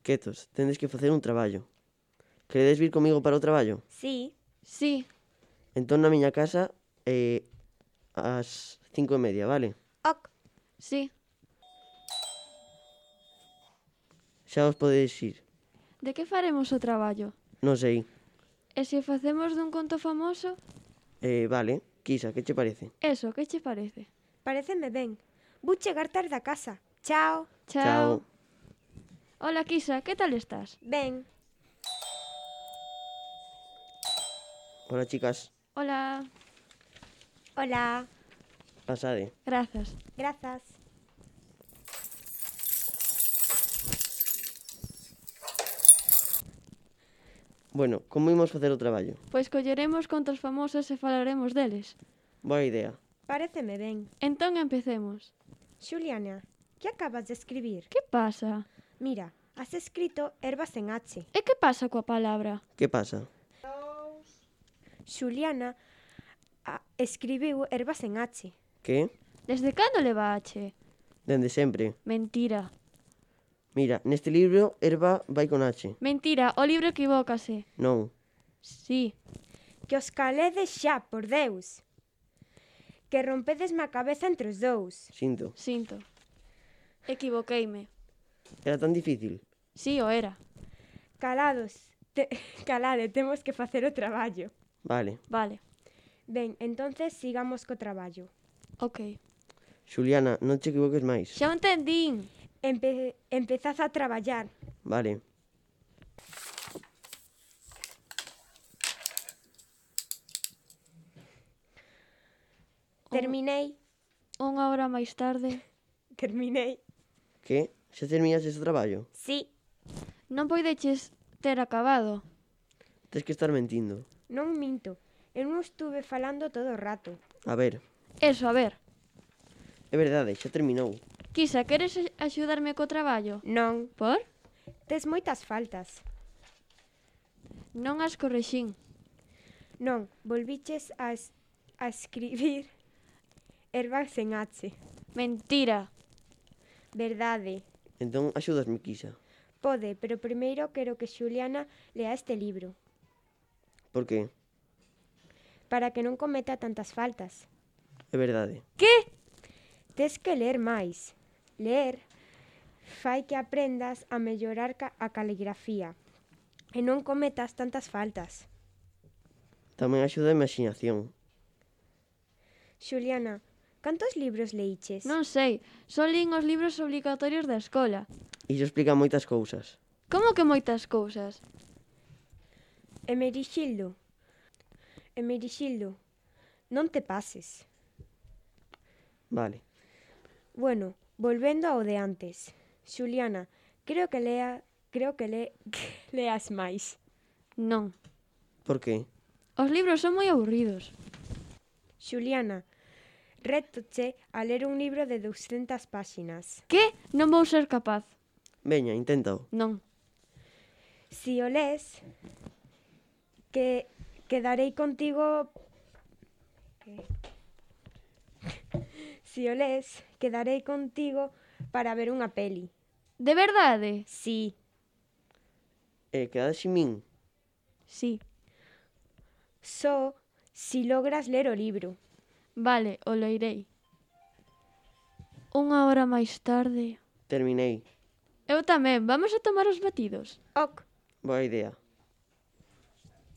Quietos, tendes que facer un traballo. Queredes vir comigo para o traballo? Sí. Sí. Entón na miña casa ás 5:30, vale? Ok. Sí. Xa os podedes ir. De que faremos o traballo? Non sei. E se o facemos dun conto famoso? Vale, Quisa, que che parece? Eso, que che parece? Paréceme ben. Vou chegar tarde a casa. Chao. Chao. Hola, Kisa, que tal estás? Ben. Hola, chicas. Hola. Hola. Pasade. Grazas. Grazas. Bueno, como imos facer o traballo? Pois colleremos contos famosos e falaremos deles. Boa idea. Paréceme ben. Entón empecemos. Xuliana, que acabas de escribir? Que pasa? Mira, has escrito ervas en H. E que pasa coa palabra? Que pasa? Xuliana escribiu ervas en H. Que? Desde cando leva H? Dende sempre. Mentira. Mira, neste libro erva vai con H. Mentira, o libro equivócase. Non. Sí. Que os caledes xa, por Deus. Que rompedesme a cabeza entre os dous. Sinto. Sinto. Equivoqueime. Era tan difícil. Sí, o era. Calados. Calade, temos que facer o traballo. Vale. Vale. Ben, entonces sigamos co traballo. Ok. Xuliana, non che equivoques máis. Xa o entendín. Empezaz a traballar. Vale. Terminei. Unha hora máis tarde. Terminei. Que? Xa terminaste o traballo? Sí. Non poideches ter acabado. Tes que estar mentindo. Non minto. Eu non estuve falando todo o rato. A ver, Eso, a ver. é verdade, xa terminou. Kisa, queres axudarme co traballo? Non. Por? Tes moitas faltas. Non as correxín. Non, volviches a escribir ervas en H. Mentira. Verdade. Entón, axúdasme, Quisa. Pode, pero primeiro quero que Xuliana lea este libro. Por que? Para que non cometa tantas faltas. É verdade. Que? Tes que ler máis. Ler fai que aprendas a mellorar a caligrafía e non cometas tantas faltas. Tamén axuda a imaxinación. Xuliana, cantos libros leiches? Non sei. Só lín os libros obligatorios da escola. Iso explica moitas cousas. Como que moitas cousas? Emerixildo, non te pases. Vale. Bueno, volvendo ao de antes. Xuliana, creo que leas máis. Non. Por que? Os libros son moi aburridos. Xuliana, rétoche a ler un libro de 200 páxinas. Que? Non vou ser capaz. Veña, inténtao. Non. Si o lees, quedarei contigo... Si o lees, quedarei contigo para ver unha peli. De verdade? Si. Quedades sin min? Sí. Só si logras ler o libro. Vale, o leirei. Unha hora máis tarde. Terminei. Eu tamén. Vamos a tomar os batidos. Ok. Boa idea.